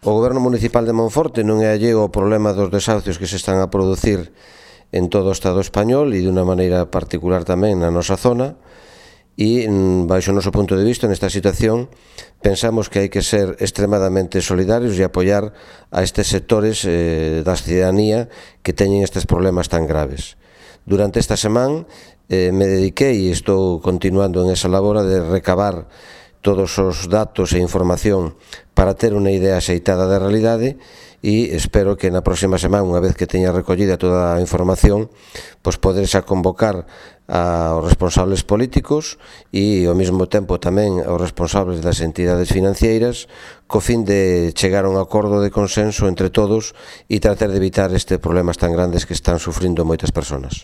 O Goberno Municipal de Monforte non é alleo ao problema dos desahucios que se están a producir en todo o Estado español e de unha maneira particular tamén na nosa zona, e, baixo o noso punto de vista, nesta situación, pensamos que hai que ser extremadamente solidarios e apoiar a estes sectores da cidadanía que teñen estes problemas tan graves. Durante esta semana me dediquei e estou continuando en esa labora de recabar todos os datos e información para ter unha idea axeitada da realidade e espero que na próxima semana, unha vez que teña recollida toda a información, pois poder xa convocar aos responsables políticos e ao mesmo tempo tamén aos responsables das entidades financeiras co fin de chegar a un acordo de consenso entre todos e tratar de evitar estes problemas tan grandes que están sufrindo moitas persoas.